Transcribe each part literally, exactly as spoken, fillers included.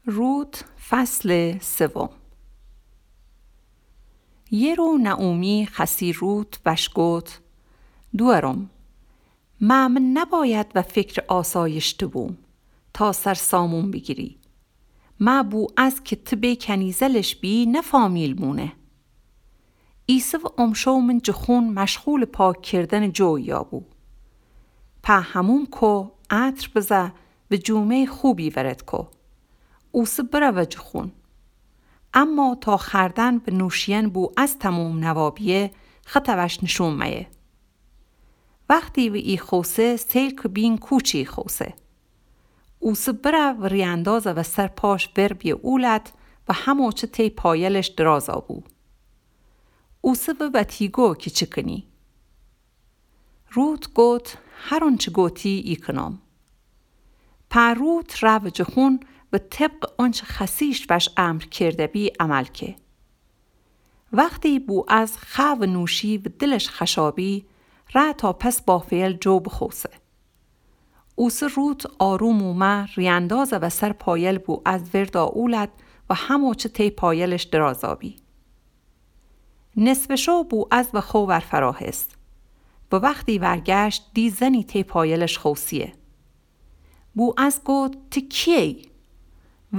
روت، فصل سوم. یه رو نعومی خسی روت وش گوت: دوأرم، مه نباید و فکرٚ آسایش تو بوم تا سر سامون بیگیری. مه بوعز کی تی بی کنیزلش بی نه فامیل مونه. ایسه و امشو من جٚه خون مشغولٚ پاک کردنٚ جوییا بو. په حموم کو، عطر بزه و جومه‌یٚ خوبی ورد کو. اوسه بروه جٚه خون. اما تا خوأردن و نوشیئن بوعز تموم نوا بیه، خطه وش نیشون مه‌یه. وختی و ای خوسه، سیل کی بین کوچی خوسه. اوسه بره و ری‌اندازه و سر پاش ور بیه اولد و همو چه تی پایلش درازا بو. اوسه و وتی گو کی چی کنی. روت گوت: هر اونچه گوتی ای کنم. په روت روه جٚه خون و طبقٚ اونچه خسیش وش امر کرده بی عمل که. وختی بوعز خوأ و نوشی و دلش خوشا بی، ره تا پس بافه‌یل جو بخوسه. اوسه روت آروم اومه، ری‌اندازه و سر پایل بوعز وردا اولد و همو چه تی پایلش درازا بی. نصفٚ شو بوعز و خو ورفراهست و وختی ورگشت، دی زنی تی پایلش خوسیه. بوعز گوت: تی کییی؟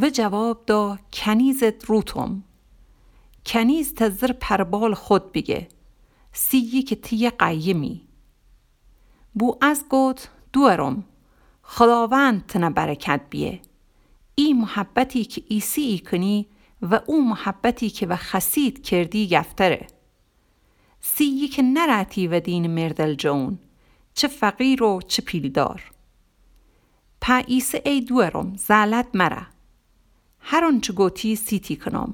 و جواب دا: کنیزت روتم. کنیز ته زر پر بالٚ خود بیگه، سیی کی تی یه قیمی. بوعز گوت: دوأرم، خوداوند تنه برکت بیه. ای محبتی کی ایسه‌یی کنی و او محبتی کی و خسیت کردی یفتره. سیی کی نرأتی و دینٚ مردل جون، چه فقیر و چه پیلدار. په ایسه ای دوأرم، زلت مره. هر اونچه گوتی سیتی کنم.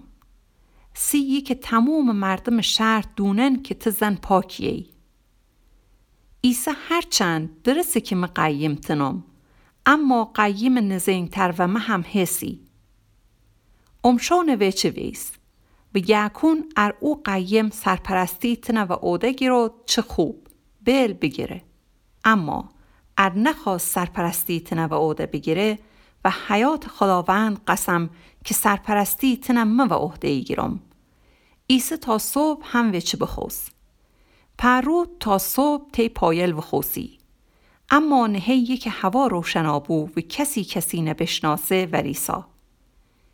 سیی کی تمومٚ مردمٚ شهر دونن کی تی زن پاکییی. ایسه هرچند درسه کی مه قیم تنم، اما قیمٚ نزین‌تر و مه هم هسی. امشو نوه چه ویس. و گه‌کون ار او قیم سرپرستی تنه و عهده گیرود، چه خوب، بیل بیگیره. اما ار نخوأست سرپرستی تنه و عهده بیگیره، و حیاتٚ خوداوند قسم کی سرپرستی تنه مه و عهده ایگیرم، ایسه تا صبح هم وچه بخوس. په روت تا صبح تی پایل وخوسی. اما نهه‌یی کی هوا روشنا بو و کسی کسی نبشناسه وریسا.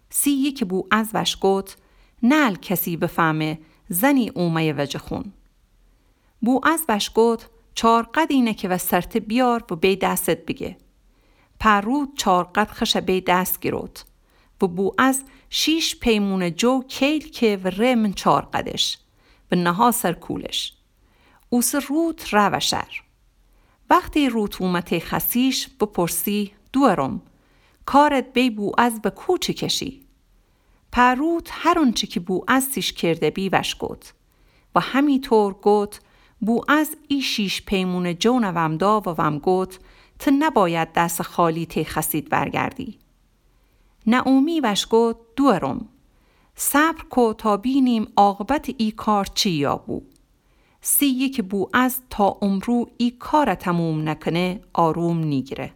سیی کی بوعز وش گوت: نل کسی بفهمه زنی اومه‌یه وجه خون. بوعز وش گوت: چار قدینه کی و سرته بیار و بی دستت بیگه. په روت چار قد خشه بی دست گیروت و بوعز شیش پیمونه جو کیل که و ره من چار قدش و نها سر کولش. اوسه روت روه شر. وختی روت اومه تی خسیش، بپرسی: دوأرم، کارت بی بوعز و کوچه کشی؟ په روت هر اونچه کی بوعز سیش کرده بی وش گوت. و همی طور گوت: بوعز ای شیش پیمونه جو وم دا و وم گوت: ته نباید دس خالی تی خسیت ورگردی. نعومی وش گوت: دوأرم، صبر کو تا بینیم عاقبتٚ ای کار چییا بو. سیی کی بوعز تا امرو ای کار تموم نکنه، آروم نیگیره.